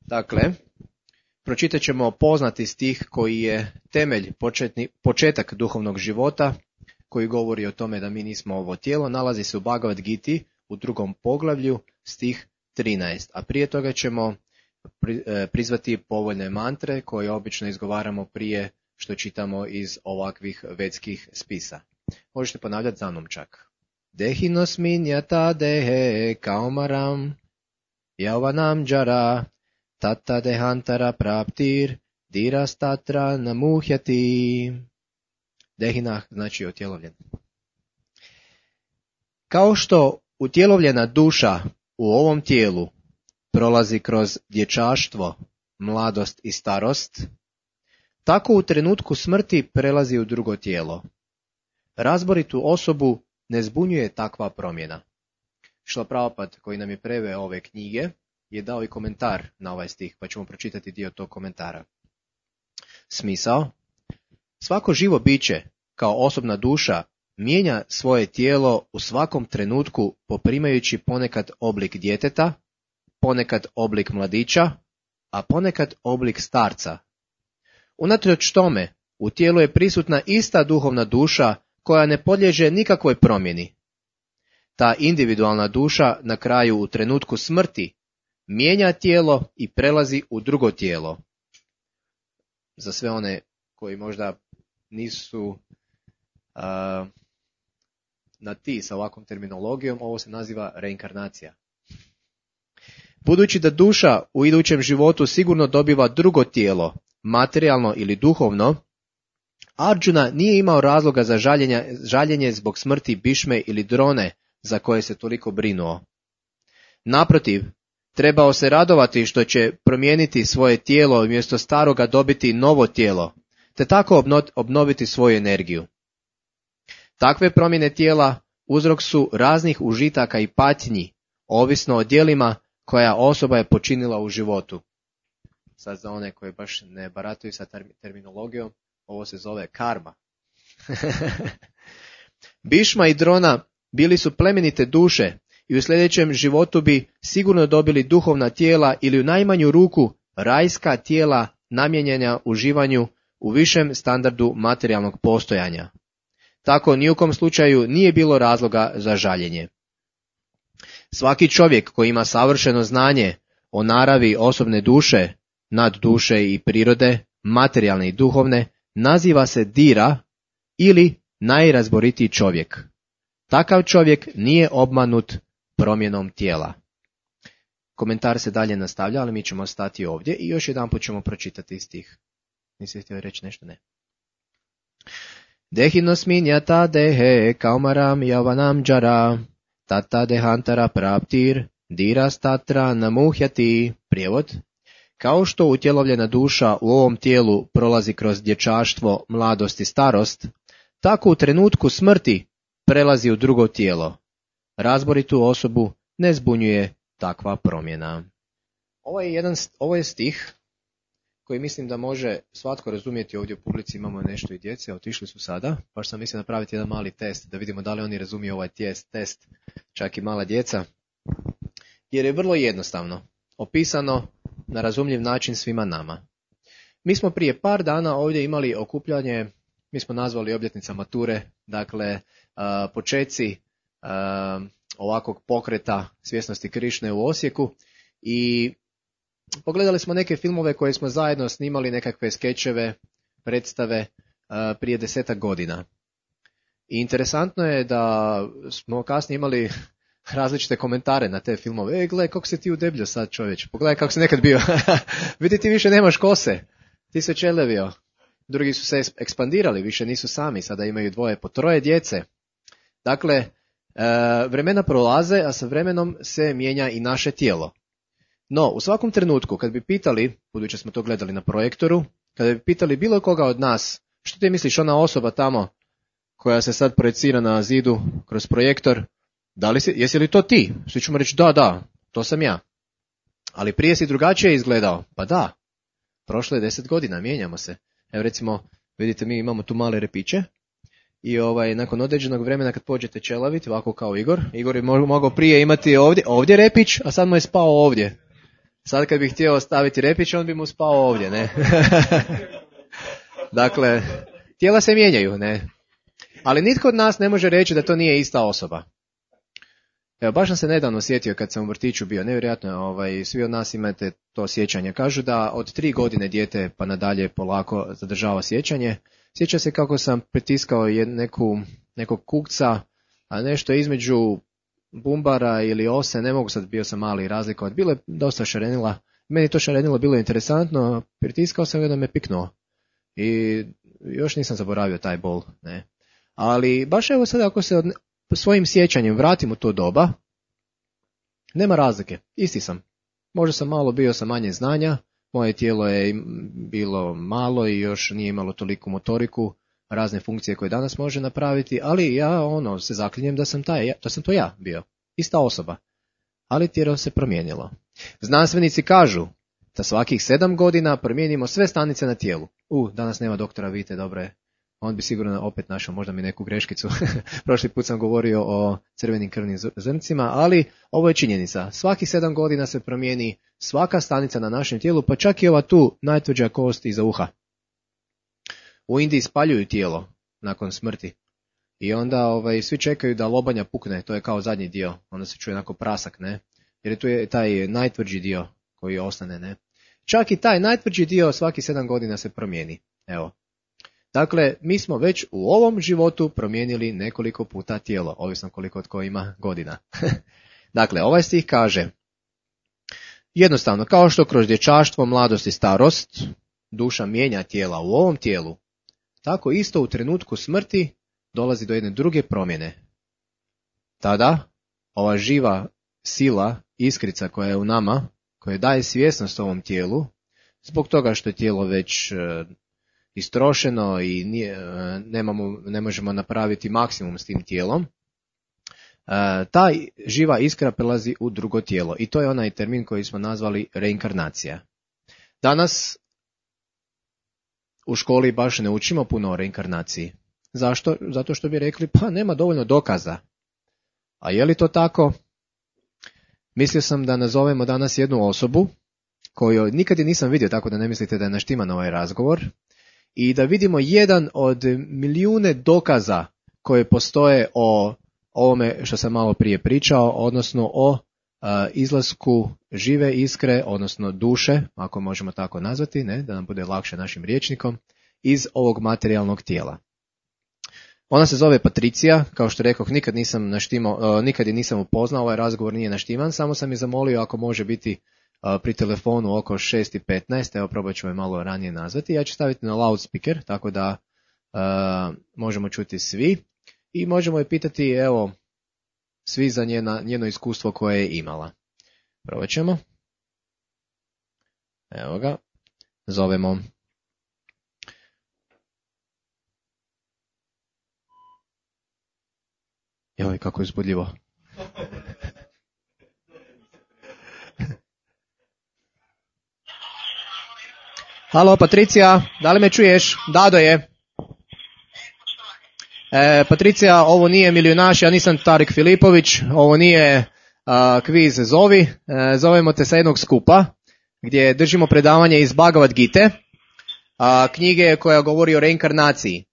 Dakle, pročitat ćemo poznati stih koji je temelj, početak duhovnog života, koji govori o tome da mi nismo ovo tijelo, nalazi se u Bhagavad Giti u 2. poglavlju, stih 13. A prije toga ćemo prizvati povoljne mantre koje obično izgovaramo prije što čitamo iz ovakvih vedskih spisa. Možete ponavljati za mnom čak. Dehinosmin yata dehe kaumaram yavanam jara tata dehantara praptir dirastatra namuhyati. Dehinah znači utjelovljen. Kao što utjelovljena duša u ovom tijelu prolazi kroz dječaštvo, mladost i starost, tako u trenutku smrti prelazi u drugo tijelo. Razboritu osobu ne zbunjuje takva promjena. Šrila Prabhupada, koji nam je preveo ove knjige, je dao i komentar na ovaj stih, pa ćemo pročitati dio tog komentara. Smisao: svako živo biće, kao osobna duša, mijenja svoje tijelo u svakom trenutku poprimajući ponekad oblik djeteta, ponekad oblik mladića, a ponekad oblik starca. Unatoč tome, u tijelu je prisutna ista duhovna duša koja ne podliježe nikakvoj promjeni. Ta individualna duša na kraju u trenutku smrti mijenja tijelo i prelazi u drugo tijelo. Za sve one koji možda nisu na ti sa ovakvom terminologijom, ovo se naziva reinkarnacija. Budući da duša u idućem životu sigurno dobiva drugo tijelo, materijalno ili duhovno, Arjuna nije imao razloga za žaljenje zbog smrti Bhišme ili Drone za koje se toliko brinuo. Naprotiv, trebao se radovati što će promijeniti svoje tijelo i umjesto staroga dobiti novo tijelo, te tako obnoviti svoju energiju. Takve promjene tijela uzrok su raznih užitaka i patnji, ovisno o djelima koja osoba je počinila u životu. Sad za one koji baš ne barataju sa terminologijom, ovo se zove karma. Bhišma i Drona bili su plemenite duše i u sljedećem životu bi sigurno dobili duhovna tijela ili u najmanju ruku rajska tijela namijenjena uživanju u višem standardu materijalnog postojanja. Tako ni u kom slučaju nije bilo razloga za žaljenje. Svaki čovjek koji ima savršeno znanje o naravi osobne duše, nadduše i prirode, materijalne i duhovne, naziva se Dira ili najrazboritiji čovjek. Takav čovjek nije obmanut promjenom tijela. Komentar se dalje nastavlja, ali mi ćemo stati ovdje i još jedanput ćemo pročitati stih. Nisi htio reći nešto? Ne. Dehinosmin yata dehe kaumaram yavanam jara tata dehantara praptir dirastatra namuhyati. Prijevod: kao što utjelovljena duša u ovom tijelu prolazi kroz dječaštvo, mladost i starost, tako u trenutku smrti prelazi u drugo tijelo. Razboritu osobu ne zbunjuje takva promjena. Ovo je stih koji mislim da može svatko razumjeti. Ovdje u publici imamo nešto i djece, otišli su sada, pa sam mislio napraviti jedan mali test, da vidimo da li oni razumiju ovaj test, čak i mala djeca, jer je vrlo jednostavno opisano na razumljiv način svima nama. Mi smo prije par dana ovdje imali okupljanje, mi smo nazvali obljetnica mature, dakle počeci ovakvog pokreta svjesnosti Krišne u Osijeku, i pogledali smo neke filmove koje smo zajedno snimali, nekakve skečeve, predstave prije 10 godina. I interesantno je da smo kasnije imali različite komentare na te filmove. Gle, kako se ti udebljio sad, čovječ, pogledaj kako si nekad bio. Vidi, ti više nemaš kose, ti se čelevio. Drugi su se ekspandirali, više nisu sami, sada imaju 2 po 3 djece. Dakle, vremena prolaze, a sa vremenom se mijenja i naše tijelo. No, u svakom trenutku, kad bi pitali, budući smo to gledali na projektoru, kada bi pitali bilo koga od nas, što ti misliš, ona osoba tamo koja se sad projecira na zidu kroz projektor, jesi li to ti? Svi ćemo reći da, to sam ja. Ali prije si drugačije izgledao. Pa da, prošlo je 10 godina, mijenjamo se. Evo recimo, vidite, mi imamo tu male repiće i nakon određenog vremena kad pođete čelaviti, ovako kao Igor je mogao prije imati ovdje repić, a sad mu je spao ovdje. Sad kad bih htio staviti repić, on bi mu spao ovdje, ne? Dakle, tijela se mijenjaju, ne? Ali nitko od nas ne može reći da to nije ista osoba. Evo, baš sam se nedavno sjetio kad sam u vrtiću bio, nevjerojatno, svi od nas imate to sjećanje. Kažu da od 3 godine dijete pa nadalje polako zadržava sjećanje. Sjeća se kako sam pritiskao nekog kukca, a nešto između bumbara ili ose, ne mogu sad, bio sam mali razlikovati, bilo je dosta šarenila. Meni to šarenilo bilo interesantno, pritiskao sam ga da me piknuo. I još nisam zaboravio taj bol, ne. Ali baš evo sad ako se svojim sjećanjem vratim u to doba, nema razlike, isti sam. Možda sam malo bio sa manje znanja, moje tijelo je bilo malo i još nije imalo toliku motoriku, razne funkcije koje danas može napraviti, ali ja se zaklinjem da sam to ja bio, ista osoba. Ali tijelo se promijenilo. Znanstvenici kažu da svakih 7 godina promijenimo sve stanice na tijelu. Danas nema doktora Vite, dobro je. On bi sigurno opet našao možda mi neku greškicu. Prošli put sam govorio o crvenim krvnim zrncima, ali ovo je činjenica. Svakih 7 godina se promijeni svaka stanica na našem tijelu, pa čak i ova tu najtvrđa kost iza uha. U Indiji spaljuju tijelo nakon smrti. I onda svi čekaju da lobanja pukne, to je kao zadnji dio. Onda se čuje onako prasak, ne? Jer tu je taj najtvrđi dio koji ostane, ne? Čak i taj najtvrđi dio svaki 7 godina se promijeni. Evo. Dakle, mi smo već u ovom životu promijenili nekoliko puta tijelo, ovisno koliko tko ima godina. Dakle, ovaj stih kaže, jednostavno, kao što kroz dječaštvo, mladost i starost duša mijenja tijela u ovom tijelu, tako isto u trenutku smrti dolazi do jedne druge promjene. Tada, ova živa sila, iskrica koja je u nama, koja daje svjesnost ovom tijelu, zbog toga što je tijelo već istrošeno i ne možemo napraviti maksimum s tim tijelom, ta živa iskra prelazi u drugo tijelo. I to je onaj termin koji smo nazvali reinkarnacija. Danas u školi baš ne učimo puno o reinkarnaciji. Zašto? Zato što bi rekli, pa nema dovoljno dokaza. A je li to tako? Mislio sam da nazovemo danas jednu osobu koju nikad je nisam vidio, tako da ne mislite da je naštiman ovaj razgovor, i da vidimo jedan od milijune dokaza koje postoje o ovome što sam malo prije pričao, odnosno o izlasku žive iskre, odnosno duše, ako možemo tako nazvati, ne, da nam bude lakše našim rječnikom, iz ovog materijalnog tijela. Ona se zove Patricija, kao što rekoh, nikad je nisam upoznao, ovaj razgovor nije naštiman, samo sam je zamolio ako može biti pri telefonu oko 6:15, evo probat ću je malo ranije nazvati, ja ću staviti na loudspeaker, tako da možemo čuti svi i možemo je pitati, evo, svi za njeno iskustvo koje je imala. Probat ćemo. Evo ga, zovemo. Joj, kako je uzbudljivo. Halo, Patricija, da li me čuješ? Dado je. Patricija, ovo nije Milijunaš, ja nisam Tarik Filipović, ovo nije kviz Zovi, zovemo te sa jednog skupa, gdje držimo predavanje iz Bhagavad Gite, knjige koja govori o reinkarnaciji.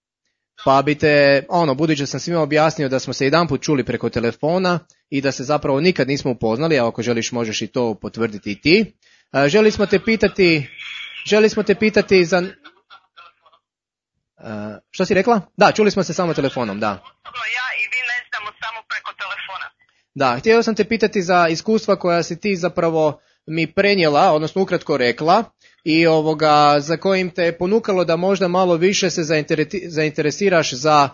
Pa bi te, budući da sam svima objasnio da smo se jedanput čuli preko telefona i da se zapravo nikad nismo upoznali, a ako želiš možeš i to potvrditi i ti, želi smo te pitati za... što si rekla? Da, čuli smo se samo telefonom, da. Ja i vi ne znamo samo preko telefona. Da, htio sam te pitati za iskustva koja si ti zapravo mi prenijela, odnosno ukratko rekla, i za kojim te ponukalo da možda malo više se zainteresiraš za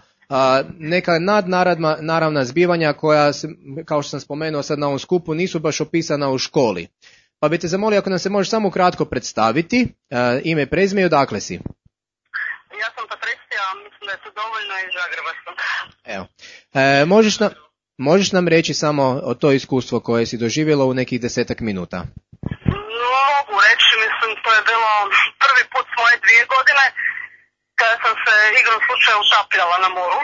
neka nadnaravna zbivanja koja, kao što sam spomenuo sad na ovom skupu, nisu baš opisana u školi. Pa bi te zamolio ako nam se možeš samo kratko predstaviti, ime i prezime i odakle si. Ja sam Patricija, mislim da je to dovoljno iz Zagreba sam. Evo. Možeš nam reći samo o to iskustvo koje si doživjela u nekih 10 minuta? Mogu reći, mislim, to je bilo prvi put s moje 2 godine kada sam se igrom slučaja utapljala na moru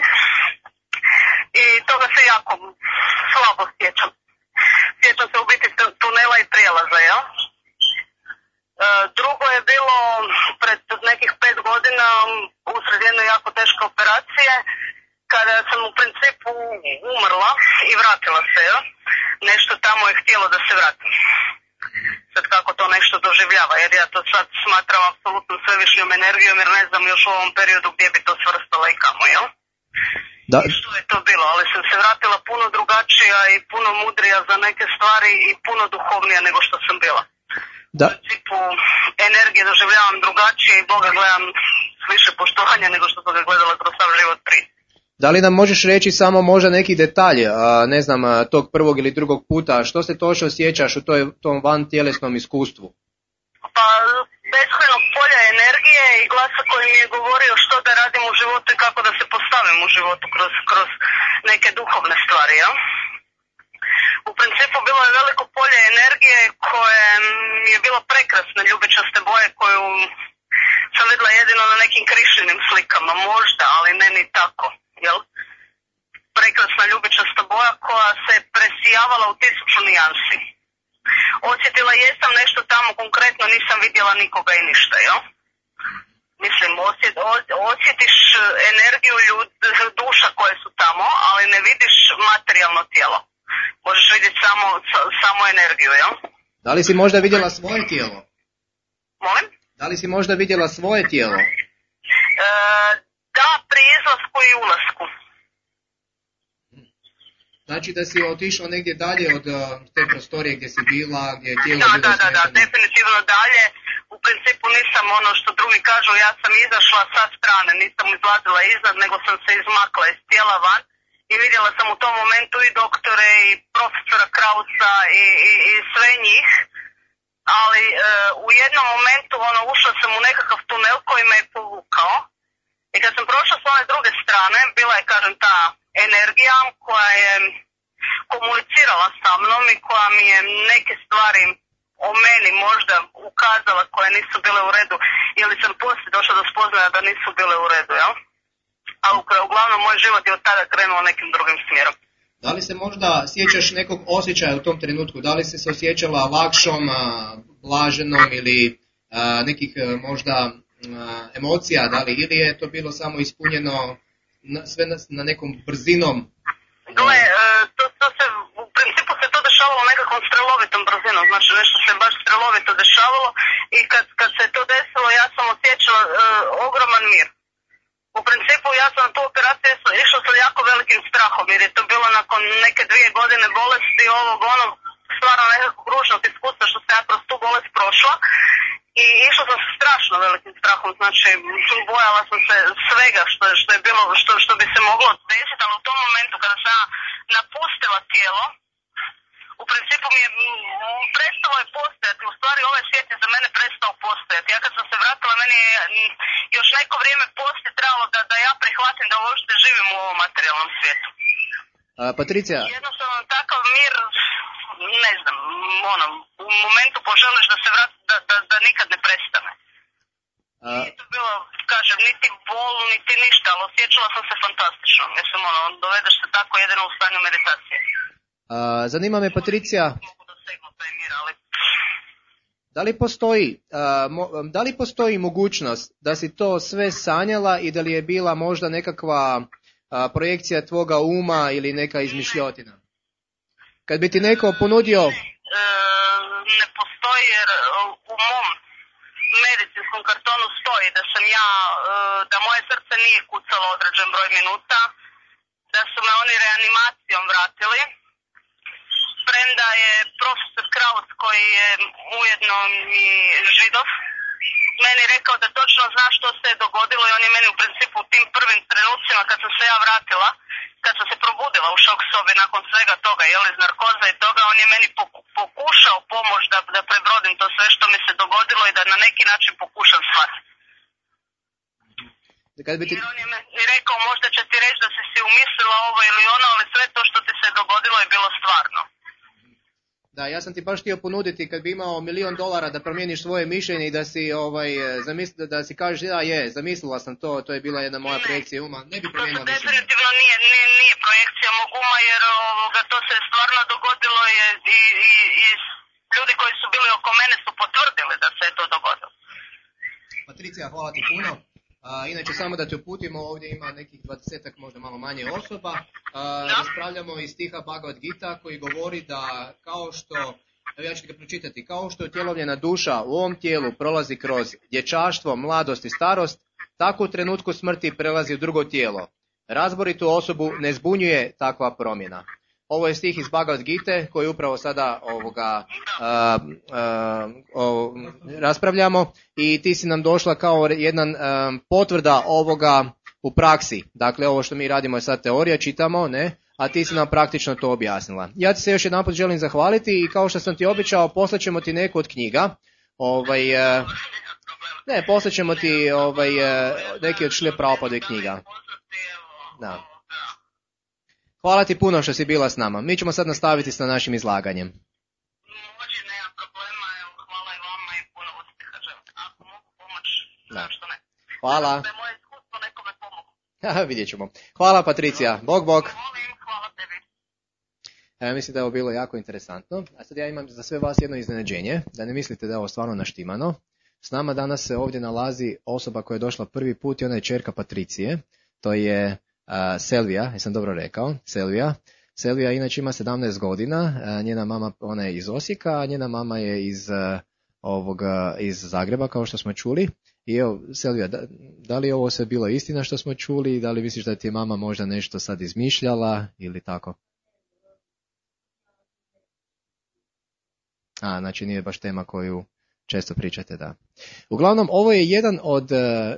i toga se jako slabo sjećam. Sjećam se u biti tunela i prijelaza, jel? je bilo pred nekih 5 godina usred jedne jako teške operacije, kada sam u principu umrla i vratila se, jo? Nešto tamo je htjelo da se vratim. Sad kako to nešto doživljava, jer ja to sad smatram apsolutno svevišnjom energijom, jer ne znam još u ovom periodu gdje bi to svrstala i kamo, jel? Da. Što je to bilo, ali sam se vratila puno drugačija i puno mudrija za neke stvari i puno duhovnija nego što sam bila. Da. U principu energije doživljavam drugačije i Boga gledam s više poštovanja nego što sam ga gledala kroz sav život prije. Da li nam možeš reći samo možda neki detalj, ne znam, tog prvog ili drugog puta, što se točno sjećaš u tom vantjelesnom iskustvu? Pa beskrajnog polja energije i glasa koji mi je govorio što da radim u životu i kako da se postavim u životu kroz neke duhovne stvari, ja? U principu bilo je veliko polje energije koje mi je bilo prekrasne ljubičaste boje koju sam vidjela jedino na nekim Krišninim slikama, možda, ali ne ni tako, jel? Prekrasna ljubičasta boja koja se presijavala u 1000 nijansi. Osjetila jesam nešto tamo, konkretno nisam vidjela nikoga i ništa, jel? Mislim, osjetiš energiju duša koje su tamo, ali ne vidiš materijalno tijelo. Možeš vidjeti samo energiju, jel? Da li si možda vidjela svoje tijelo? Molim? Da li si možda vidjela svoje tijelo? Da, pri izlasku i ulasku. Znači da si otišla negdje dalje od te prostorije gdje si bila, gdje je tijelo bilo smješteno? Da, definitivno dalje. U principu nisam ono što drugi kažu, ja sam izašla sa strane, nisam izlazila iznad, nego sam se izmakla iz tijela van i vidjela sam u tom momentu i doktore i profesora Krausa i sve njih, ali u jednom momentu ušla sam u nekakav tunel koji me je povukao i kad sam prošla s one druge strane, bila je, kažem, ta energija koja je komunicirala sa mnom i koja mi je neke stvari o meni možda ukazala koje nisu bile u redu, ili sam poslije došla do spoznaja da nisu bile u redu, jel? Ali uglavnom moj život je od tada krenuo nekim drugim smjerom. Da li se možda sjećaš nekog osjećaja u tom trenutku? Da li si se osjećala lakšom, blaženom ili nekih možda emocija? Da li, ili je to bilo samo ispunjeno sve na nekom brzinom? Gle, to se, u principu se to dešavalo nekakvom strelovitom brzinom, znači nešto se baš strelovito dešavalo i kad se to desilo ja sam osjećala ogroman mir. U principu ja sam na tu operaciju išla sa jako velikim strahom jer je to bilo nakon neke 2 godine bolesti stvarno nekakvog ružnog iskustva što sam ja kroz tu bolest prošla i išla sam sa strašno velikim strahom, znači bojala sam se svega što je bilo, što bi se moglo desiti, ali u tom momentu kada sam napustila tijelo, u principu mi je prestalo je postojati, u stvari ovaj svijet je za mene prestao postojati. Ja kad sam se vratila, meni je još neko vrijeme poslije trebalo da ja prihvatim da uopšte živim u ovom materijalnom svijetu. Patricija. Jednostavno takav mir, ne znam, u momentu poželiš da se vrati, da nikad ne prestane. Nije to bilo, kažem, niti bol, niti ništa, ali osjećala sam se fantastično. Mislim, dovedeš se tako jedino u stanju meditacije. Zanima me, Patricija, da li postoji mogućnost da si to sve sanjala i da li je bila možda nekakva projekcija tvoga uma ili neka izmišljotina? Kad bi ti neko ponudio... Ne postoji jer u mom medicinskom kartonu stoji da sam da moje srce nije kucalo određen broj minuta, da su me oni reanimacijom vratili. Premda je profesor Kraus, koji je ujedno i Židov, meni rekao da točno zna što se je dogodilo i on je meni u principu u tim prvim trenucima kad sam se ja vratila, kad sam se probudila u šok sobi nakon svega toga, iz narkoza i toga, on je meni pokušao pomoć da prebrodim to sve što mi se dogodilo i da na neki način pokušam shvatiti. Jer on je meni rekao možda će ti reći da si umislila ovo ili ono, ali sve to što ti se dogodilo je bilo stvarno. Da, ja sam ti baš htio ponuditi kad bi imao $1.000.000 da promijeniš svoje mišljenje i da si da si kažeš zamislila sam to je bila jedna moja projekcija uma, ne bi promijenila mišljenje. To definitivno nije projekcija mog uma jer to se stvarno dogodilo i ljudi koji su bili oko mene su potvrdili da se je to dogodilo. Patricija, hvala ti puno. Inače, samo da te uputimo, ovdje ima nekih 20, možda malo manje osoba. Raspravljamo iz stiha Bhagavad Gita koji govori da kao što, evo ja ću ga pročitati, kao što utjelovljena duša u ovom tijelu prolazi kroz dječaštvo, mladost i starost, tako u trenutku smrti prelazi u drugo tijelo. Razboritu osobu ne zbunjuje takva promjena. Ovo je stih iz Bhagavad Gite koji upravo sada raspravljamo i ti si nam došla kao jedan potvrda ovoga u praksi. Dakle, ovo što mi radimo je sad teorija, čitamo, ne? A ti si nam praktično to objasnila. Ja ti se još jedanput želim zahvaliti i kao što sam ti obećao, poslaćemo ti neku od knjiga. Poslaćemo ti neki od Šrile Prabhupadovih knjiga. Da. Hvala ti puno što si bila s nama. Mi ćemo sad nastaviti sa našim izlaganjem. Može, nema problema, hvala i vama i puno uspjeha želim. Ako mogu pomoći, zašto ne? Hvala. Da je moje iskustvo nekome pomogu. Vidjet ćemo. Hvala Patricija. Bog. Hvala tebi. Mislim da je ovo bilo jako interesantno. A sad ja imam za sve vas jedno iznenađenje, da ne mislite da je ovo stvarno naštimano. S nama danas se ovdje nalazi osoba koja je došla prvi put i ona je ćerka Patricije. To je Selvija, jesam dobro rekao, Selvija. Selvija inače ima 17 godina, njena mama, ona je iz Osijeka, a njena mama je iz Zagreba, kao što smo čuli. I evo, Selvija, da li ovo sve bilo istina što smo čuli, da li misliš da ti je mama možda nešto sad izmišljala ili tako? Znači nije baš tema koju često pričate, da. Uglavnom, ovo je jedan od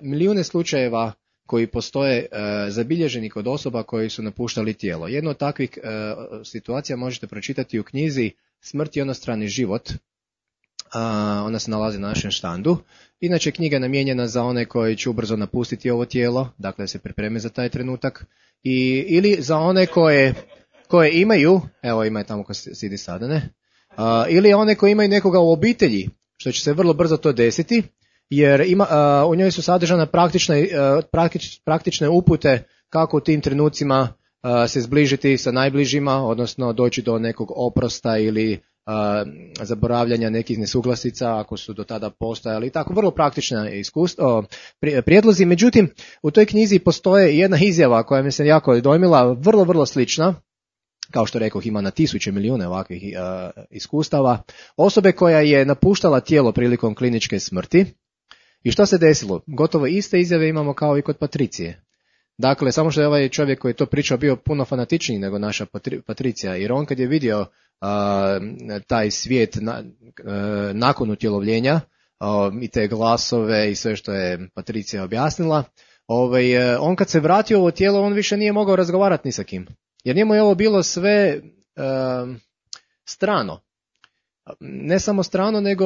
milijune slučajeva koji postoje zabilježeni kod osoba koji su napuštali tijelo. Jedno od takvih situacija možete pročitati u knjizi Smrt i onostrani život. Ona se nalazi na našem štandu. Inače, knjiga je namijenjena za one koji će ubrzo napustiti ovo tijelo, dakle se pripreme za taj trenutak, ili za one koje imaju, evo ima je tamo ko sidi sada, ne? Ili one koji imaju nekoga u obitelji, što će se vrlo brzo to desiti, jer u njoj su sadržane praktične upute kako u tim trenucima se zbližiti sa najbližima, odnosno doći do nekog oprosta ili zaboravljanja nekih nesuglasica ako su do tada postojali. Tako, vrlo praktična prijedlozi. Međutim, u toj knjizi postoje jedna izjava koja mi se jako dojmila, vrlo, vrlo slična. Kao što rekoh, ima na tisuće, milijune ovakvih iskustava. Osobe koja je napuštala tijelo prilikom kliničke smrti. I što se desilo? Gotovo iste izjave imamo kao i kod Patricije. Dakle, samo što je ovaj čovjek koji je to pričao bio puno fanatičniji nego naša Patricija. Jer on kad je vidio taj svijet nakon utjelovljenja i te glasove i sve što je Patricija objasnila, on kad se vratio u ovo tijelo, on više nije mogao razgovarati ni sa kim. Jer njemu je ovo bilo sve strano. Ne samo strano, nego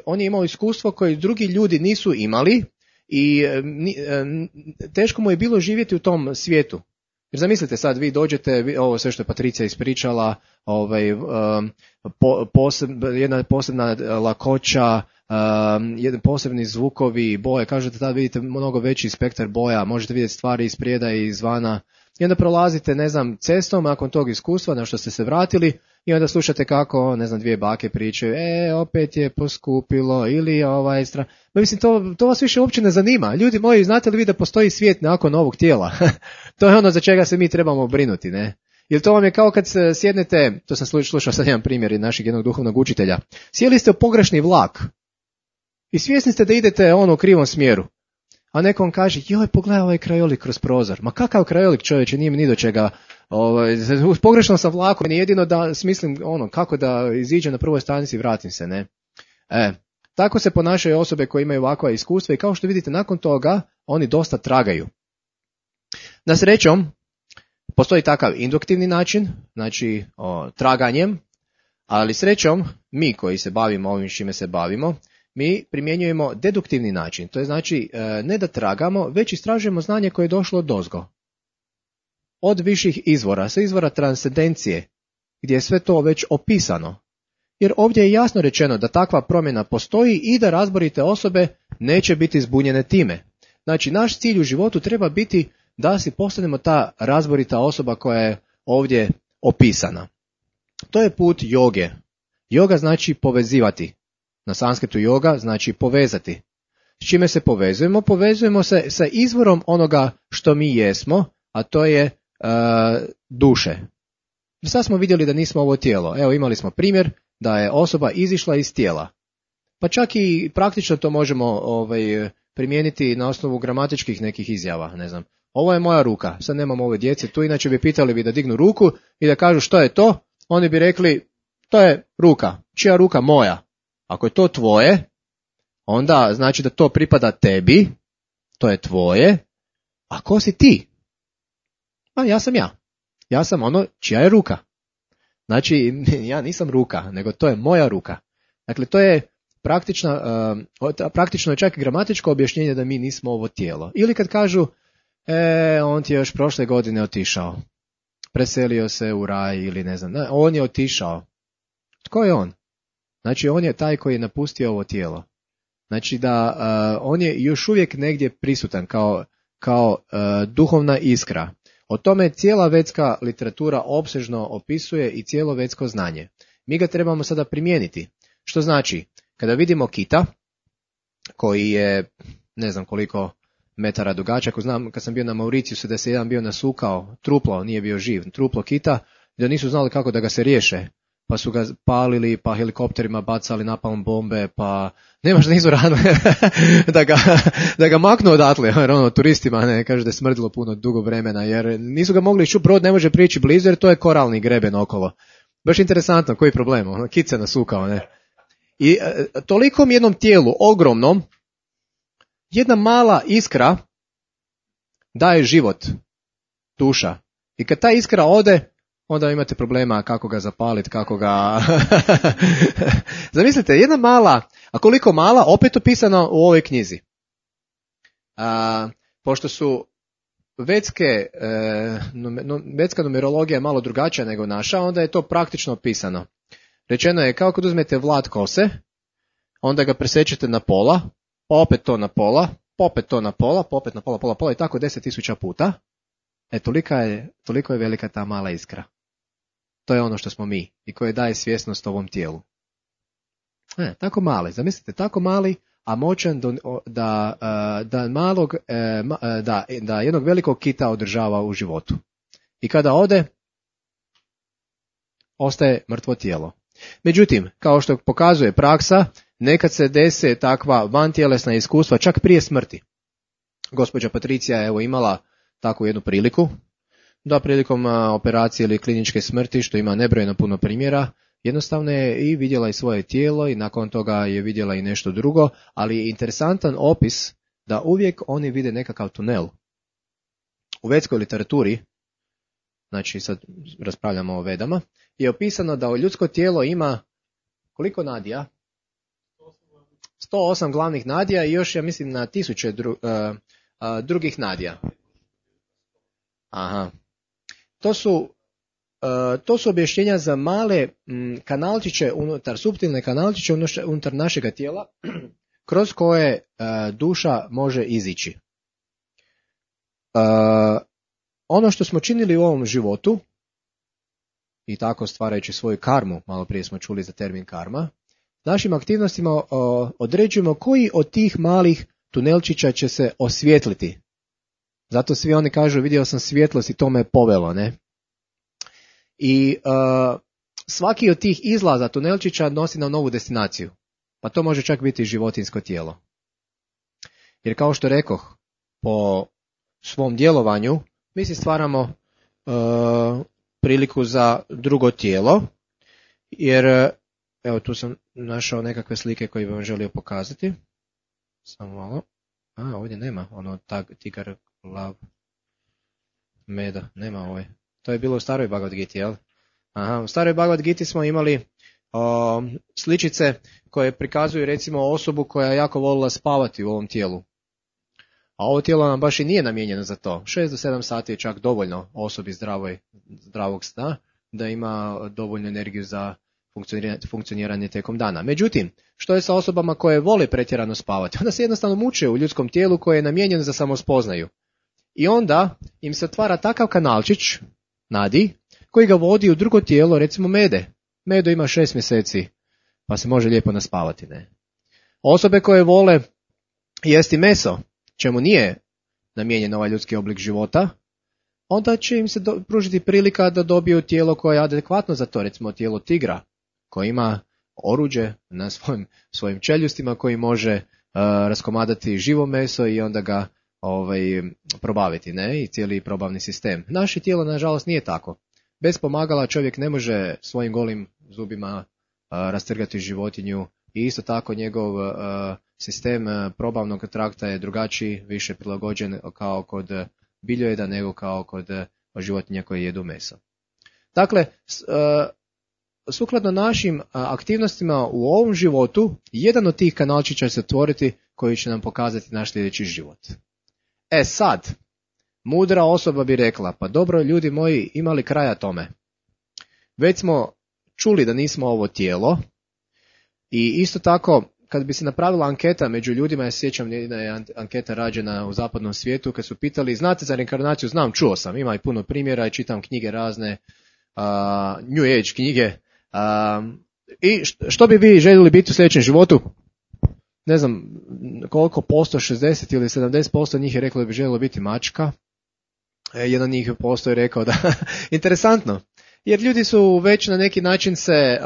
on je imao iskustvo koje drugi ljudi nisu imali i teško mu je bilo živjeti u tom svijetu. Jer zamislite sad, vi dođete, ovo sve što je Patricija ispričala, jedna posebna lakoća, posebni zvukovi, boje, kažete tada vidite mnogo veći spektar boja, možete vidjeti stvari iz prijeda i izvana. I onda prolazite, cestom nakon tog iskustva na što ste se vratili i onda slušate kako, dvije bake pričaju, opet je poskupilo ili Mislim, to vas više uopće ne zanima. Ljudi moji, znate li vi da postoji svijet nakon ovog tijela? To je ono za čega se mi trebamo brinuti, ne? Jer to vam je kao kad sjednete, to sam slušao sad jedan primjer iz našeg jednog duhovnog učitelja, sjeli ste u pogrešni vlak i svjesni ste da idete u krivom smjeru. A nekom kaže, joj, pogledaj ovaj krajolik kroz prozor. Ma kakav krajolik, čovječe, nije mi ni do čega. Pogrešno sam vlakom, jedino da smislim kako da iziđem na prvoj stanici i vratim se, ne? Tako se ponašaju osobe koje imaju ovakva iskustva i kao što vidite, nakon toga oni dosta tragaju. Na srećom, postoji takav induktivni način, znači traganjem, ali srećom, mi koji se bavimo ovim čime se bavimo, mi primjenjujemo deduktivni način, to je znači ne da tragamo, već istražujemo znanje koje je došlo odozgo. Od viših izvora, sa izvora transcendencije, gdje je sve to već opisano. Jer ovdje je jasno rečeno da takva promjena postoji i da razborite osobe neće biti zbunjene time. Znači, naš cilj u životu treba biti da si postanemo ta razborita osoba koja je ovdje opisana. To je put joge. Joga znači povezivati. Na sanskritu yoga znači povezati. S čime se povezujemo? Povezujemo se sa izvorom onoga što mi jesmo, a to je duše. Sad smo vidjeli da nismo ovo tijelo. Evo, imali smo primjer da je osoba izišla iz tijela. Pa čak i praktično to možemo primijeniti na osnovu gramatičkih nekih izjava, ne znam. Ovo je moja ruka, sad nemamo ove djece tu, inače bi pitali bi da dignu ruku i da kažu što je to, oni bi rekli to je ruka, čija ruka? Moja. Ako je to tvoje, onda znači da to pripada tebi, to je tvoje, a ko si ti? Pa ja sam ja. Ja sam ono čija je ruka. Znači, ja nisam ruka, nego to je moja ruka. Dakle, to je praktično je čak i gramatičko objašnjenje da mi nismo ovo tijelo. Ili kad kažu, on ti je još prošle godine otišao, preselio se u raj ili ne znam, on je otišao. Tko je on? Znači, on je taj koji je napustio ovo tijelo. Znači da on je još uvijek negdje prisutan kao duhovna iskra. O tome cijela vedska literatura opsežno opisuje i cijelo vedsko znanje. Mi ga trebamo sada primijeniti. Što znači, kada vidimo kita, koji je ne znam koliko metara dugačak, znam kad sam bio na Mauriciusu da se jedan bio nasukao, truplo, nije bio živ, truplo kita, da nisu znali kako da ga se riješe, pa su ga palili, pa helikopterima bacali napalm bombe, pa nemaš da izvorano da ga maknu odatle, jer ono turistima ne kaže da je smrdilo puno dugo vremena, jer nisu ga mogli čuti, brod ne može prići blizu jer to je koralni greben okolo. Baš interesantno, koji problem, ono, kit se nasukao, ne. I tolikom jednom tijelu, ogromnom, jedna mala iskra daje život, duša. I kad ta iskra ode, onda imate problema kako ga zapaliti, kako ga... Zamislite, jedna mala, a koliko mala, opet opisano u ovoj knjizi. Pošto su vedska numerologija malo drugačija nego naša, onda je to praktično opisano. Rečeno je kao kad uzmete vlat kose, onda ga presečete na pola, pa opet to na pola, pa opet to na pola, pa opet na pola, pola i tako 10.000 puta. Toliko je velika ta mala iskra. To je ono što smo mi i koje daje svjesnost ovom tijelu. Tako mali, zamislite, tako mali, a moćan da jednog velikog kita održava u životu. I kada ode, ostaje mrtvo tijelo. Međutim, kao što pokazuje praksa, nekad se dese takva vantjelesna iskustva čak prije smrti. Gospođa Patricija je imala takvu jednu priliku, da prilikom operacije ili kliničke smrti, što ima nebrojeno puno primjera, jednostavno je i vidjela i svoje tijelo i nakon toga je vidjela i nešto drugo, ali je interesantan opis da uvijek oni vide nekakav tunel. U vedskoj literaturi, znači sad raspravljamo o vedama, je opisano da ljudsko tijelo ima koliko nadija? 108 glavnih nadija i još, ja mislim, na 1000 drugih nadija. Aha. To su objašnjenja za male kanalčiće suptilne kanalčiće unutar našega tijela, kroz koje duša može izići. Ono što smo činili u ovom životu, i tako stvarajući svoju karmu, malo prije smo čuli za termin karma, našim aktivnostima određujemo koji od tih malih tunelčića će se osvijetliti. Zato svi oni kažu, vidio sam svjetlost i to me povelo, ne? I svaki od tih izlaza tunelčića nosi nam novu destinaciju. Pa to može čak biti životinjsko tijelo. Jer kao što rekoh, po svom djelovanju mi si stvaramo priliku za drugo tijelo. Jer, evo tu sam našao nekakve slike koje bih vam želio pokazati. Samo malo. Ovdje nema ono tigar, lav, meda. Nema ovaj. To je bilo u staroj Bhagavad Giti, jel? U staroj Bhagavad Giti smo imali sličice koje prikazuju recimo osobu koja je jako volila spavati u ovom tijelu. A ovo tijelo nam baš i nije namijenjeno za to. 6 do 7 sati je čak dovoljno osobi zdravog sna da ima dovoljnu energiju za funkcioniranje tijekom dana. Međutim, što je sa osobama koje vole pretjerano spavati? Onda se jednostavno muče u ljudskom tijelu koje je namijenjeno za samospoznaju. I onda im se otvara takav kanalčić, nadi, koji ga vodi u drugo tijelo, recimo mede. Medo ima 6 mjeseci, pa se može lijepo naspavati, ne? Osobe koje vole jesti meso, čemu nije namijenjen ovaj ljudski oblik života, onda će im se pružiti prilika da dobiju tijelo koje je adekvatno za to, recimo tijelo tigra, koji ima oruđe na svojim čeljustima, koji može raskomadati živo meso i onda ga probaviti, ne? I cijeli probavni sistem. Naše tijelo, nažalost, nije tako. Bez pomagala čovjek ne može svojim golim zubima rastrgati životinju i isto tako njegov sistem probavnog trakta je drugačiji, više prilagođen kao kod biljojeda nego kao kod životinja koje jedu meso. Dakle, sukladno našim aktivnostima u ovom životu, jedan od tih kanalčića će se otvoriti koji će nam pokazati naš sljedeći život. Sad, mudra osoba bi rekla, pa dobro ljudi moji, imali kraja tome. Već smo čuli da nismo ovo tijelo i isto tako kad bi se napravila anketa među ljudima, ja se sjećam jedna je anketa rađena u zapadnom svijetu, kad su pitali, znate za reinkarnaciju? Znam, čuo sam, ima i puno primjera i čitam knjige razne, New Age knjige. I što bi vi željeli biti u sljedećem životu? Ne znam koliko posto, 60 ili 70% njih je reklo da bi željelo biti mačka. Jedan njih posto je rekao da, interesantno, jer ljudi su već na neki način se,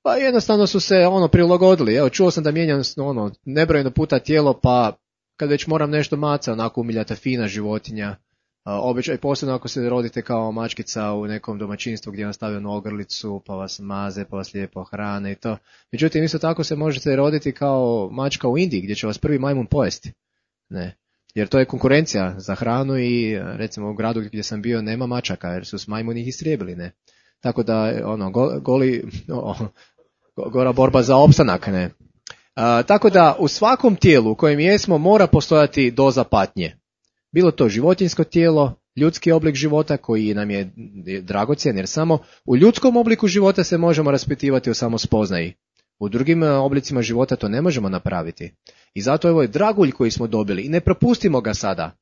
pa jednostavno su se prilagodili. Evo, čuo sam da mijenjam nebrojeno puta tijelo, pa kad već moram nešto maca, onako umiljata fina životinja, običaj, posebno ako se rodite kao mačkica u nekom domaćinstvu gdje vam stavljaju na ogrlicu, pa vas maze, pa vas lijepo hrane i to. Međutim, isto tako se možete roditi kao mačka u Indiji, gdje će vas prvi majmun pojesti. Ne. Jer to je konkurencija za hranu i recimo u gradu gdje sam bio nema mačaka, jer su s majmuni ih istrijebili, ne. Tako da, gora borba za opstanak, ne. Tako da u svakom tijelu u kojem jesmo mora postojati doza patnje. Bilo to životinjsko tijelo, ljudski oblik života koji nam je dragocjen, jer samo u ljudskom obliku života se možemo raspitivati o samospoznaji. U drugim oblicima života to ne možemo napraviti. I zato je ovo dragulj koji smo dobili i ne propustimo ga sada.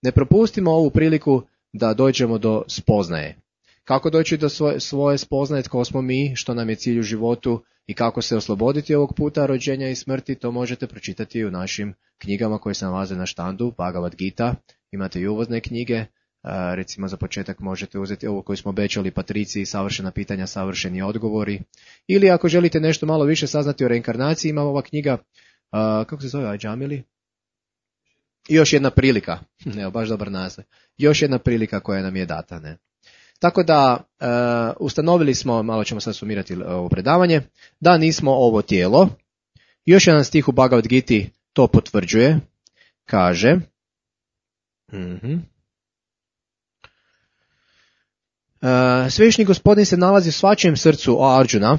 Ne propustimo ovu priliku da dođemo do spoznaje. Kako doći do svoje spoznaje, tko smo mi, što nam je cilj u životu i kako se osloboditi ovog puta rođenja i smrti, to možete pročitati u našim knjigama koje se nalaze na štandu, Bhagavad Gita. Imate i uvozne knjige, recimo za početak možete uzeti ovo koju smo obećali, Patriciji, savršena pitanja, savršeni odgovori. Ili ako želite nešto malo više saznati o reinkarnaciji, ima ova knjiga, kako se zove, Ajamili? Još jedna prilika, evo baš dobar naziv, još jedna prilika koja nam je data, ne. Tako da ustanovili smo, malo ćemo sad sumirati ovo predavanje, da nismo ovo tijelo. Još jedan stih u Bhagavad Giti to potvrđuje, kaže, Svevišnji gospodin se nalazi u svačijem srcu, o Arjuna,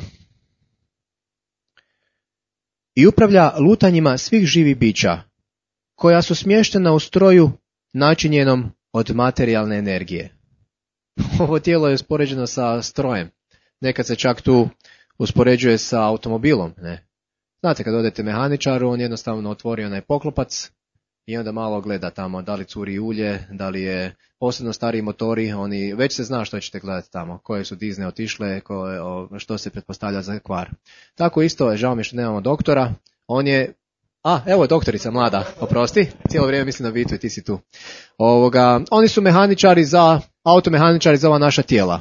i upravlja lutanjima svih živih bića, koja su smještena u stroju načinjenom od materijalne energije. Ovo tijelo je uspoređeno sa strojem. Nekad se čak tu uspoređuje sa automobilom. Ne? Znate, kad odete mehaničaru, on jednostavno otvori onaj poklopac i onda malo gleda tamo da li curi ulje, da li je posebno stariji motori, oni već se zna što ćete gledati tamo, koje su dizne otišle, što se pretpostavlja za kvar. Tako isto, žao mi što nemamo doktora, on je, evo je doktorica mlada, oprosti, cijelo vrijeme mislim na Vitu i ti si tu. Oni su automehaničari za ova naša tijela.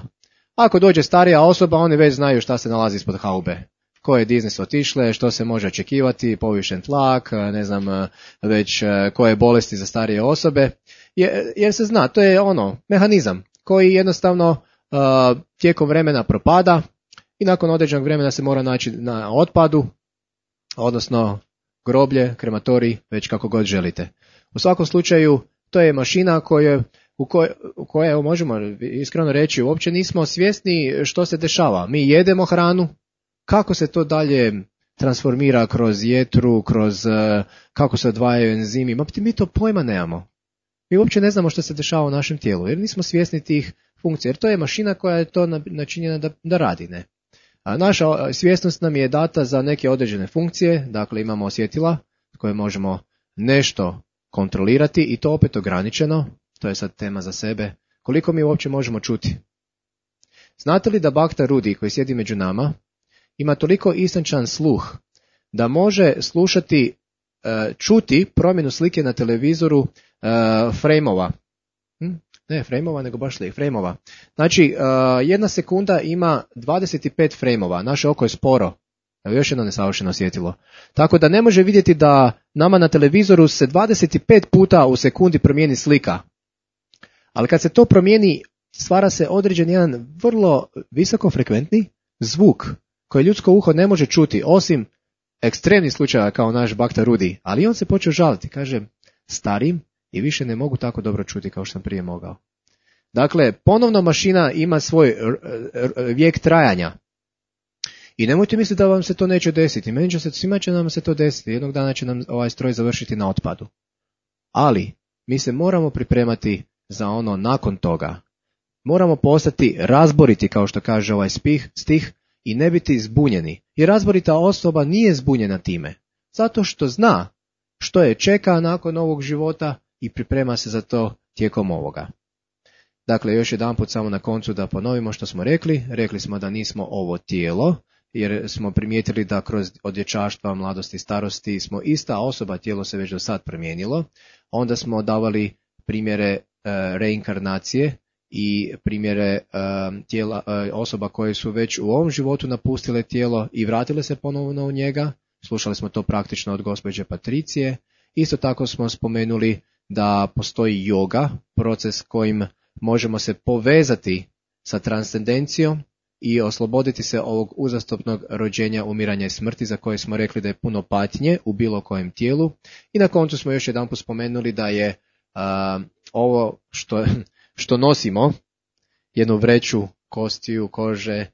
Ako dođe starija osoba, oni već znaju šta se nalazi ispod haube. Koje dizne su otišle, što se može očekivati, povišen tlak, ne znam već koje bolesti za starije osobe. Jer se zna, to je mehanizam koji jednostavno tijekom vremena propada i nakon određenog vremena se mora naći na otpadu, odnosno groblje, krematorij, već kako god želite. U svakom slučaju, to je mašina u kojoj možemo iskreno reći, uopće nismo svjesni što se dešava. Mi jedemo hranu, kako se to dalje transformira kroz jetru, kako se odvajaju enzimi, mi to pojma nemamo. Mi uopće ne znamo što se dešava u našem tijelu, jer nismo svjesni tih funkcija, jer to je mašina koja je to načinjena da radi, ne. A naša svjesnost nam je data za neke određene funkcije, dakle imamo osjetila koje možemo nešto kontrolirati i to opet ograničeno, to je sad tema za sebe, koliko mi uopće možemo čuti. Znate li da Bhakta Rudi koji sjedi među nama ima toliko istančan sluh da može slušati čuti promjenu slike na televizoru frame-ova. Ne frame-ova, nego baš frame-ova. Znači, 1 sekunda ima 25 frame-ova. Naše oko je sporo. Evo još jedno nesavršeno svjetilo. Tako da ne može vidjeti da nama na televizoru se 25 puta u sekundi promijeni slika. Ali kad se to promijeni, stvara se određen jedan vrlo visokofrekventni zvuk koji ljudsko uho ne može čuti, osim ekstremnih slučajeva kao naš bakta Rudi. Ali on se počeo žaliti, kaže, starim i više ne mogu tako dobro čuti kao što sam prije mogao. Dakle, ponovno mašina ima svoj vijek trajanja. I nemojte misliti da vam se to neće desiti. Svima će nam se to desiti. Jednog dana će nam ovaj stroj završiti na otpadu. Ali mi se moramo pripremati za ono nakon toga. Moramo postati razboriti, kao što kaže ovaj stih, i ne biti zbunjeni. Jer razborita osoba nije zbunjena time. Zato što zna što je čeka nakon ovog života i priprema se za to tijekom ovoga. Dakle, još jedanput samo na koncu da ponovimo što smo rekli. Rekli smo da nismo ovo tijelo, jer smo primijetili da kroz od dječaštva, mladosti i starosti smo ista osoba, tijelo se već do sad promijenilo. Onda smo davali primjere reinkarnacije i primjere tijela, osoba koje su već u ovom životu napustile tijelo i vratile se ponovno u njega. Slušali smo to praktično od gospođe Patricije. Isto tako smo spomenuli da postoji yoga, proces kojim možemo se povezati sa transcendencijom i osloboditi se ovog uzastopnog rođenja, umiranja i smrti za koje smo rekli da je puno patnje u bilo kojem tijelu. I na koncu smo još jedanput spomenuli da je ovo što nosimo, jednu vreću kostiju, kože,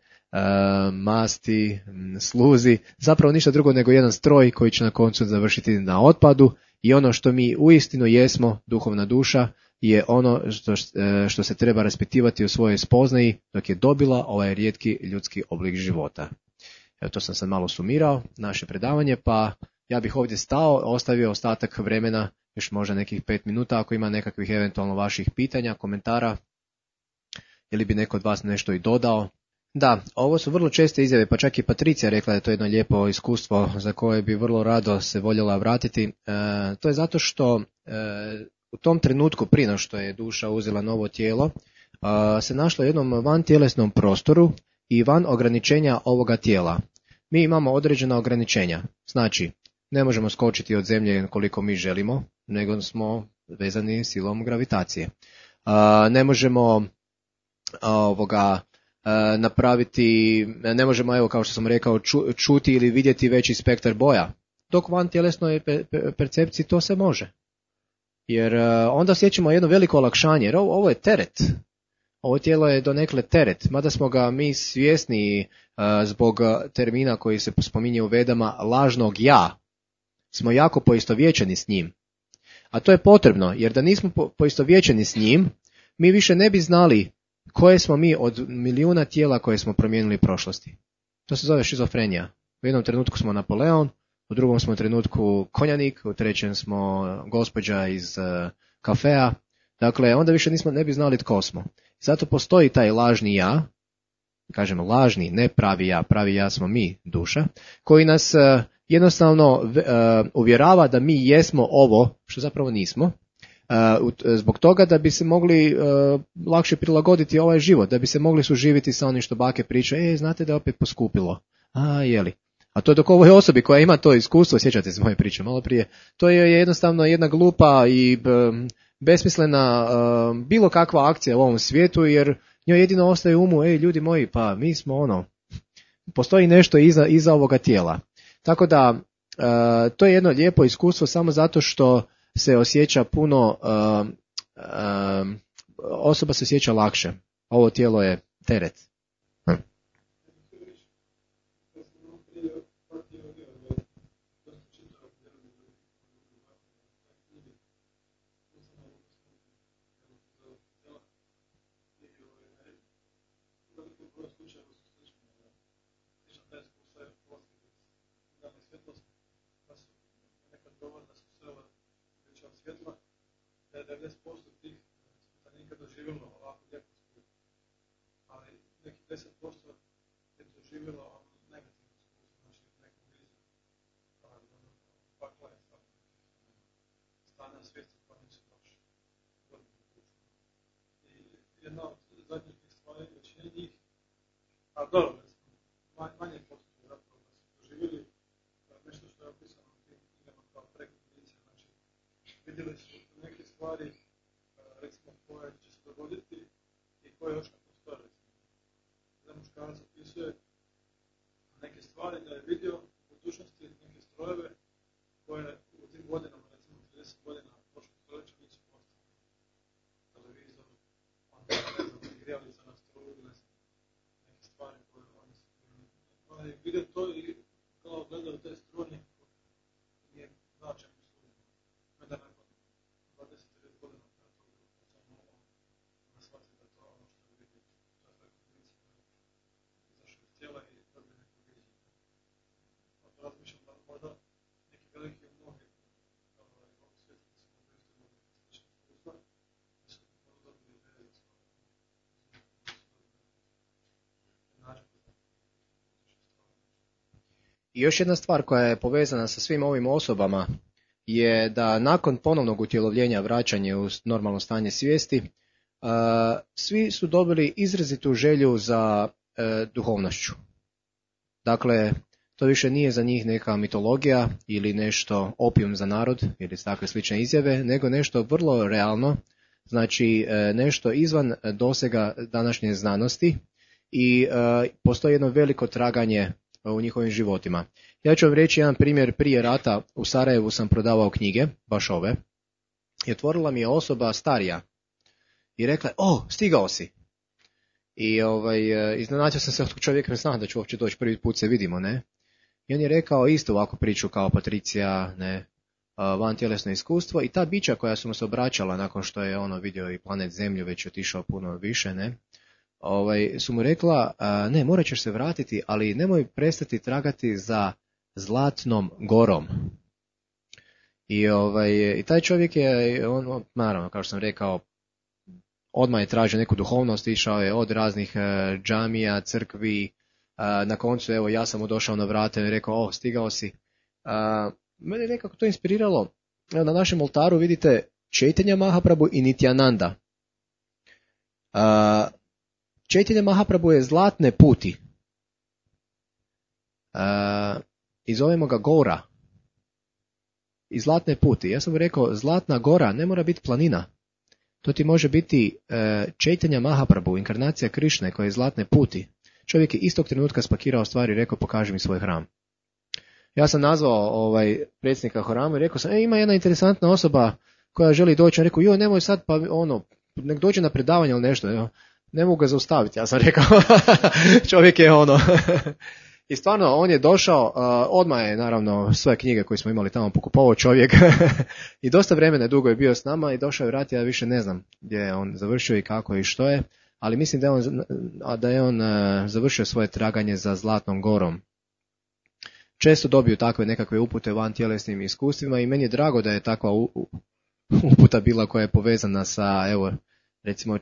masti, sluzi, zapravo ništa drugo nego jedan stroj koji će na koncu završiti na otpadu i ono što mi uistinu jesmo, duhovna duša, je ono što se treba raspitivati u svojoj spoznaji dok je dobila ovaj rijetki ljudski oblik života. Evo, to sam sad malo sumirao, naše predavanje, pa ja bih ovdje stao, ostavio ostatak vremena, još možda nekih 5 minuta, ako ima nekakvih eventualno vaših pitanja, komentara, ili bi neko od vas nešto i dodao. Da, ovo su vrlo česte izjave, pa čak i Patricija rekla da je to jedno lijepo iskustvo za koje bi vrlo rado se voljela vratiti. To je zato što u tom trenutku, prije no što je duša uzela novo tijelo, se našla u jednom vantjelesnom prostoru i van ograničenja ovoga tijela. Mi imamo određena ograničenja, znači ne možemo skočiti od zemlje koliko mi želimo, nego smo vezani silom gravitacije. Ne možemo napraviti, ne možemo, evo kao što sam rekao, čuti ili vidjeti veći spektar boja. Dok van tjelesnoj percepciji to se može. Jer onda osjećamo jedno veliko olakšanje, jer ovo je teret. Ovo tijelo je donekle teret, mada smo ga mi svjesni zbog termina koji se spominje u Vedama, lažnog ja. Smo jako poistovjećeni s njim. A to je potrebno, jer da nismo poistovjećeni s njim, mi više ne bi znali koje smo mi od milijuna tijela koje smo promijenili u prošlosti. To se zove šizofrenija. U jednom trenutku smo Napoleon, u drugom smo trenutku konjanik, u trećem smo gospođa iz kafea. Dakle, onda više ne bi znali tko smo. Zato postoji taj lažni ja, kažemo lažni, ne pravi ja smo mi, duša, koji nas jednostavno uvjerava da mi jesmo ovo, što zapravo nismo, zbog toga da bi se mogli lakše prilagoditi ovaj život, da bi se mogli suživiti sa onim što bake pričaju, znate da je opet poskupilo. Jeli? A to je dok ovoj osobi koja ima to iskustvo, sjećate se moje priče malo prije, to je jednostavno jedna glupa i besmislena bilo kakva akcija u ovom svijetu, jer njoj jedino ostaje umu, ljudi moji, pa mi smo postoji nešto iza ovoga tijela. Tako da, to je jedno lijepo iskustvo samo zato što se osjeća puno, osoba se osjeća lakše. Ovo tijelo je teret. Svjetla, da je 90% tih ispitanika doživjelo ovako lijepo iskustvo. Ali neki 10% je doživjelo negativno iskustvo, znači neku viziju, pakla je stavljeno. svijesti koja nisu baš godinu uključena. I jedna od zadnjih stvari većine njih, a dobro, manje postoje zapravo da su doživjeli nešto što je opisano u tim knjigama kao prekondicija. Znači, vidjeli su neke stvari, recimo, koje će se dogoditi i koje još ne postoje, recimo. Jedan muškarac opisuje neke stvari da je vidio u budućnosti neke strojeve koje u tim godinama, recimo 30 godina prošlog stoljeća nisu postavljene. Televizor, onda, ne znam, grijalica na struju, ne znam, neke stvari koje oni su vidio to i kao gledaju te struje nekako nije značajno služeno. Onda nakon 20-30 godina kada to bilo postao normalno, onda shvati da to ono što je vidio, to je prekondicija, izašao iz tijela i dobio neko viđenje. Onda razmišljam da možda neki veliki mnogi ovog svijeta da su možda isto imali slične iskustva, da su možda dobili ideje za svoje način. I još jedna stvar koja je povezana sa svim ovim osobama je da nakon ponovnog utjelovljenja vraćanja u normalno stanje svijesti, svi su dobili izrazitu želju za duhovnošću. Dakle, to više nije za njih neka mitologija ili nešto opijum za narod ili takve slične izjave, nego nešto vrlo realno, znači nešto izvan dosega današnje znanosti i postoji jedno veliko traganje u njihovim životima. Ja ću vam reći jedan primjer. Prije rata u Sarajevu sam prodavao knjige, baš ove, i otvorila mi je osoba starija i rekla, stigao si. I iznenadio sam se od čovjeka, ne znam da ću uopće doći, prvi put se vidimo, ne? I on je rekao isto ovako priču kao Patricija, ne, van tjelesno iskustvo, i ta bića koja su mu se obraćala nakon što je vidio i planet Zemlju, već otišao puno više, ne, su mu rekla, ne, morat ćeš se vratiti, ali nemoj prestati tragati za Zlatnom gorom. I taj čovjek je, naravno, kao što sam rekao, odmah je tražio neku duhovnost, išao je od raznih džamija, crkvi, na koncu, evo, ja sam mu došao na vrata i rekao, stigao si. Mene je nekako to inspiriralo. Evo, na našem oltaru vidite Chaitanya Mahaprabhu i Nityananda. Chaitanya Mahaprabhu je zlatne puti. I zovemo ga Gora. I zlatne puti. Ja sam mu rekao, Zlatna Gora ne mora biti planina. To ti može biti Chaitanya Mahaprabhu, inkarnacija Krišne koja je zlatne puti. Čovjek je istog trenutka spakirao stvari i rekao, pokaži mi svoj hram. Ja sam nazvao predsjednika hrama i rekao sam, ima jedna interesantna osoba koja želi doći. On rekao, nemoj sad, pa nek dođe na predavanje ili nešto. Ne mogu ga zaustaviti, ja sam rekao. Čovjek je I stvarno, on je došao, odmah je naravno svoje knjige koje smo imali tamo pokupovao čovjek. I dosta vremena dugo je bio s nama i došao je vratiti, ja više ne znam gdje je on završio i kako i što je. Ali mislim da je on završio svoje traganje za Zlatnom gorom. Često dobiju takve nekakve upute van tjelesnim iskustvima i meni je drago da je takva uputa bila koja je povezana sa, evo, recimo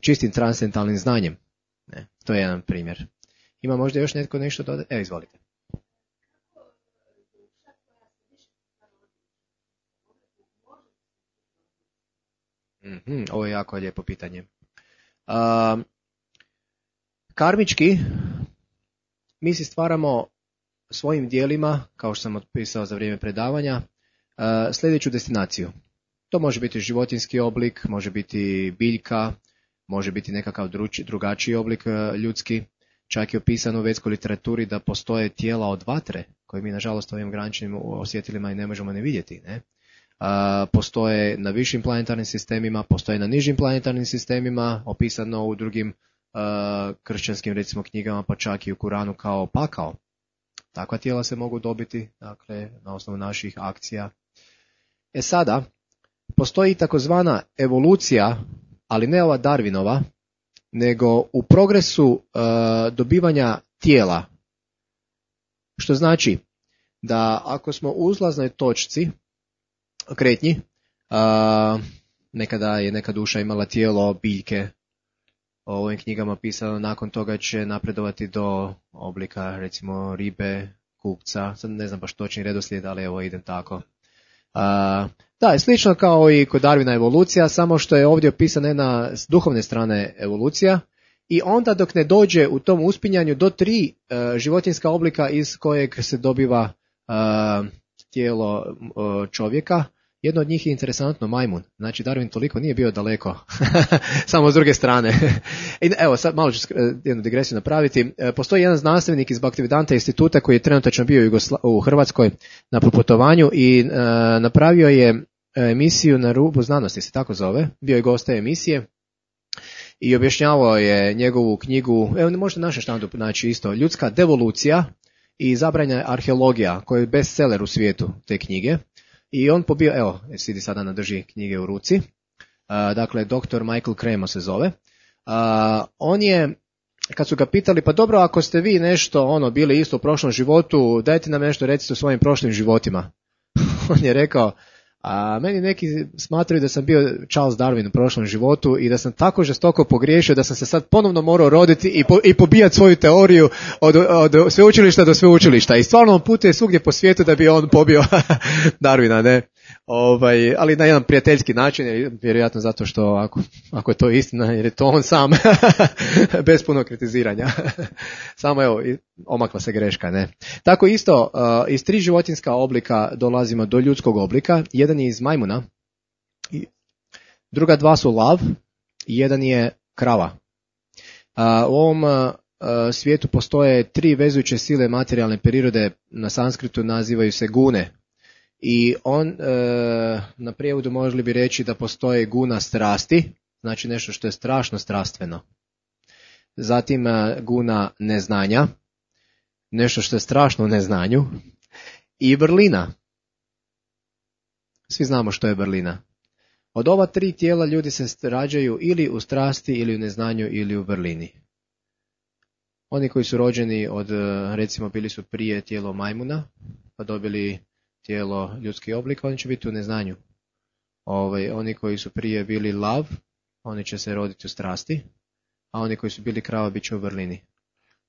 čistim transcendentalnim znanjem. Ne, to je jedan primjer. Ima možda još netko nešto dodati? Evo, izvolite. Ovo je jako lijepo pitanje. Karmički mi si stvaramo svojim dijelima, kao što sam otpisao za vrijeme predavanja, sljedeću destinaciju. To može biti životinjski oblik, može biti biljka, može biti nekakav drugačiji oblik ljudski. Čak je opisano u vedskoj literaturi da postoje tijela od vatre, koje mi nažalost ovim graničnim osjetilima i ne možemo ne vidjeti. Ne? Postoje na višim planetarnim sistemima, postoje na nižim planetarnim sistemima, opisano u drugim kršćanskim recimo knjigama, pa čak i u Kuranu kao pakao. Takva tijela se mogu dobiti, dakle, na osnovu naših akcija. Sada, postoji takozvana evolucija, ali ne ova Darwinova, nego u progresu dobivanja tijela. Što znači da ako smo u uzlaznoj točci, kretnji, nekada je neka duša imala tijelo biljke, u ovim knjigama pisano, nakon toga će napredovati do oblika recimo ribe, kukca, sad ne znam baš točni redoslijed, ali evo idem tako. Da, slično kao i kod Darwina evolucija, samo što je ovdje opisana jedna s duhovne strane evolucija i onda dok ne dođe u tom uspinjanju do 3 životinjska oblika iz kojeg se dobiva tijelo čovjeka. Jedno od njih je interesantno majmun. Znači Darwin toliko nije bio daleko, samo s druge strane. I evo, sad malo ću jednu digresiju napraviti. Postoji jedan znanstvenik iz Baktivedanta instituta koji je trenutačno bio u Hrvatskoj na proputovanju i napravio je emisiju Na rubu znanosti, se tako zove. Bio je gost te emisije i objašnjavao je njegovu knjigu, evo možete naše štandu naći isto, Ljudska devolucija i zabranjena arheologija, koja je bestseller u svijetu te knjige. I on pobio, evo, sidi sada nadrži knjige u ruci, dakle, dr. Michael Cremo se zove. On je, kad su ga pitali, pa dobro, ako ste vi nešto bili isto u prošlom životu, dajte nam nešto recite o svojim prošlim životima. On je rekao, meni neki smatraju da sam bio Charles Darwin u prošlom životu i da sam tako žestoko pogriješio da sam se sad ponovno morao roditi i pobijati svoju teoriju od sveučilišta do sveučilišta. I stvarno on putuje svugdje po svijetu da bi on pobio Darwina, ne? Ali na jedan prijateljski način, vjerojatno zato što ako je to istina, jer je to on sam, bez puno kritiziranja. Samo evo, omakla se greška, ne. Tako isto, iz 3 životinjska oblika dolazimo do ljudskog oblika. Jedan je iz majmuna, druga 2 su lav i jedan je krava. U ovom svijetu postoje 3 vezujuće sile materijalne prirode, na sanskritu nazivaju se gune. I na prijevodu mogli bi reći da postoje guna strasti, znači nešto što je strašno strastveno. Zatim guna neznanja, nešto što je strašno u neznanju. I vrlina. Svi znamo što je vrlina. Od ova 3 tijela ljudi se rađaju ili u strasti, ili u neznanju, ili u vrlini. Oni koji su rođeni od, recimo, bili su prije tijelo majmuna, pa dobili tijelo ljudski oblik, oni će biti u neznanju. Oni koji su prije bili lav, oni će se roditi u strasti, a oni koji su bili krava bit će u vrlini.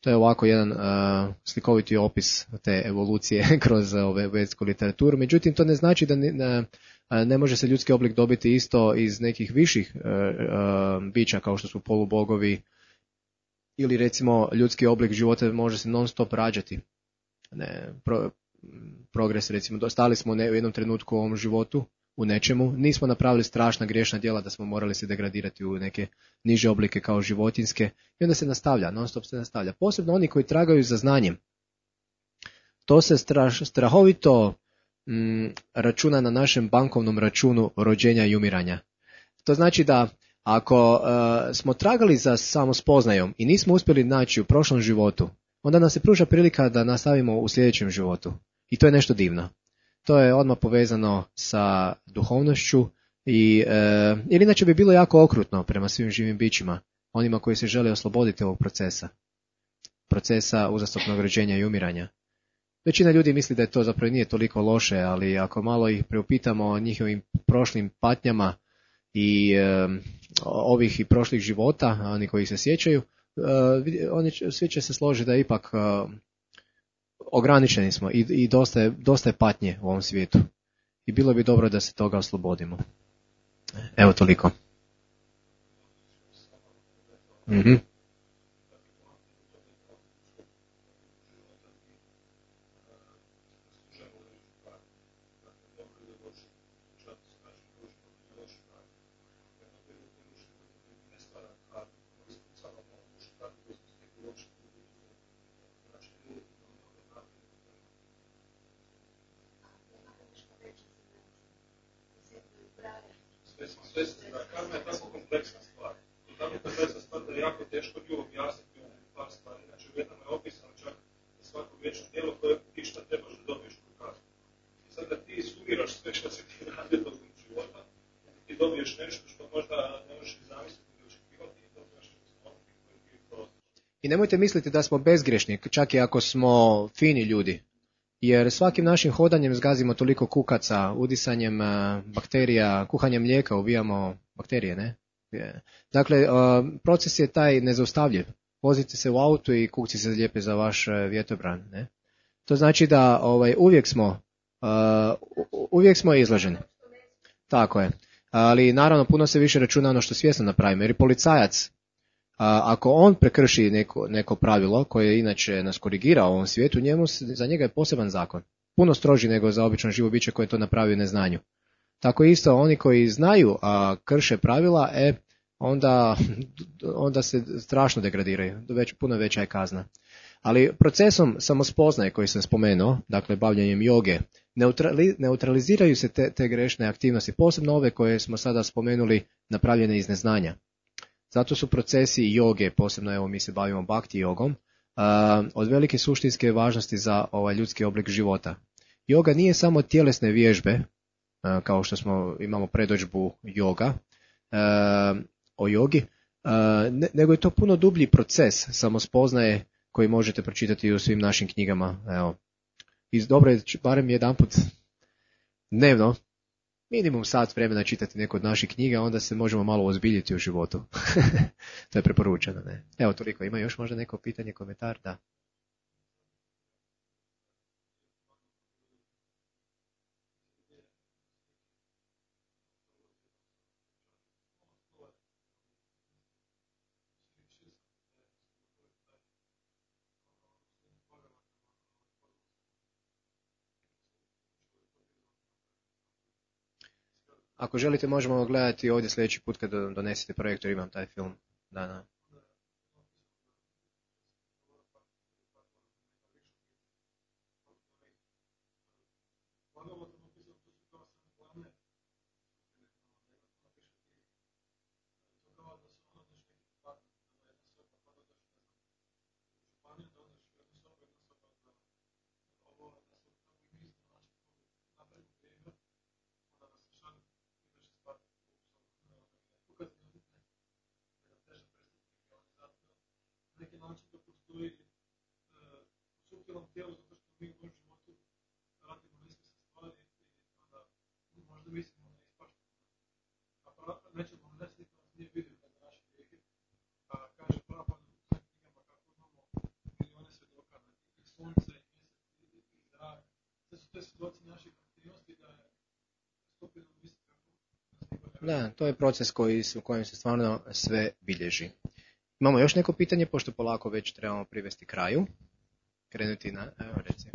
To je ovako jedan slikoviti opis te evolucije kroz vedsku literaturu. Međutim, to ne znači da ne može se ljudski oblik dobiti isto iz nekih viših bića kao što su polubogovi, ili recimo ljudski oblik života može se non stop rađati. Progres, recimo, stali smo u jednom trenutku u ovom životu, u nečemu, nismo napravili strašna griješna djela da smo morali se degradirati u neke niže oblike kao životinjske i onda se nastavlja, non stop se nastavlja. Posebno oni koji tragaju za znanjem. To se strahovito računa na našem bankovnom računu rođenja i umiranja. To znači da ako smo tragali za samospoznajom i nismo uspjeli naći u prošlom životu, onda nam se pruža prilika da nastavimo u sljedećem životu. I to je nešto divno. To je odmah povezano sa duhovnošću jer inače bi bilo jako okrutno prema svim živim bićima, onima koji se žele osloboditi ovog procesa uzastopnog rođenja i umiranja. Većina ljudi misli da je to zapravo nije toliko loše, ali ako malo ih preupitamo o njihovim prošlim patnjama i ovih i prošlih života, oni koji se sjećaju, svi će se složiti da ipak ograničeni smo i dosta je patnje u ovom svijetu. I bilo bi dobro da se toga oslobodimo. Evo toliko. Mm-hmm. Karma je tako kompleksna stvar. Tako kompleksna stvar da je jako teško nju objasniti u par stvari. Znači u jednom je opisano čak za svako vječno djelo koje ti šta trebaš da dobiješ tu kaznu. I sad da ti sumiraš sve što se ti radi tokom života, ti dobiješ nešto što možda ne možeš zamisliti ili očekivati i dobiješ nešto koji ti prosto. I nemojte misliti da smo bezgrešni, čak i ako smo fini ljudi. Jer svakim našim hodanjem zgazimo toliko kukaca, udisanjem bakterija, kuhanjem mlijeka ubijamo bakterije, ne? Dakle, proces je taj nezaustavljiv. Vozite se u autu i kukci se lijepe za vaš vjetobran, ne? To znači da uvijek uvijek smo izloženi. Tako je. Ali naravno puno se više računa ono što svjesno napravimo, jer i policajac, ako on prekrši neko pravilo koje inače nas korigira u ovom svijetu, za njega je poseban zakon. Puno stroži nego za obično živo biće koje to napravi u neznanju. Tako isto oni koji znaju, a krše pravila, onda se strašno degradiraju, puno veća je kazna. Ali procesom samospoznaje koji sam spomenuo, dakle bavljanjem joge, neutraliziraju se te grešne aktivnosti, posebno ove koje smo sada spomenuli napravljene iz neznanja. Zato su procesi joge, posebno evo mi se bavimo bhakti jogom, od velike suštinske važnosti za ovaj ljudski oblik života. Joga nije samo tjelesne vježbe, kao što imamo predodžbu joga, o jogi, nego je to puno dublji proces samospoznaje koji možete pročitati u svim našim knjigama. Evo. Dobro je barem jedanput dnevno, minimum sat vremena čitati neku od naših knjiga, onda se možemo malo ozbiljiti u životu. To je preporučeno. Ne? Evo toliko. Ima još možda neko pitanje, komentar? Da. Ako želite možemo gledati ovdje sljedeći put kad donesete projektor, imam taj film. Da. Da, to je proces u kojem se stvarno sve bilježi. Imamo još neko pitanje, pošto polako već trebamo privesti kraju. Krenuti na, evo reci.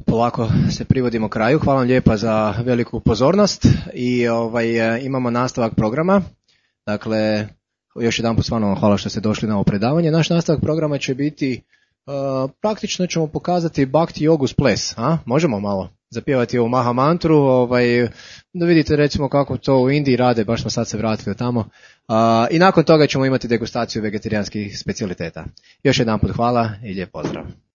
Polako se privodimo kraju. Hvala vam lijepa za veliku pozornost i imamo nastavak programa. Dakle, još jedanput stvarno hvala što ste došli na ovo predavanje. Naš nastavak programa će biti, praktično ćemo pokazati Bhakti jogu s ples. Možemo malo zapjevati ovu Maha mantru, da vidite recimo kako to u Indiji rade, baš smo sad se vratili tamo. I nakon toga ćemo imati degustaciju vegetarijanskih specijaliteta. Još jedanput hvala i lijep pozdrav.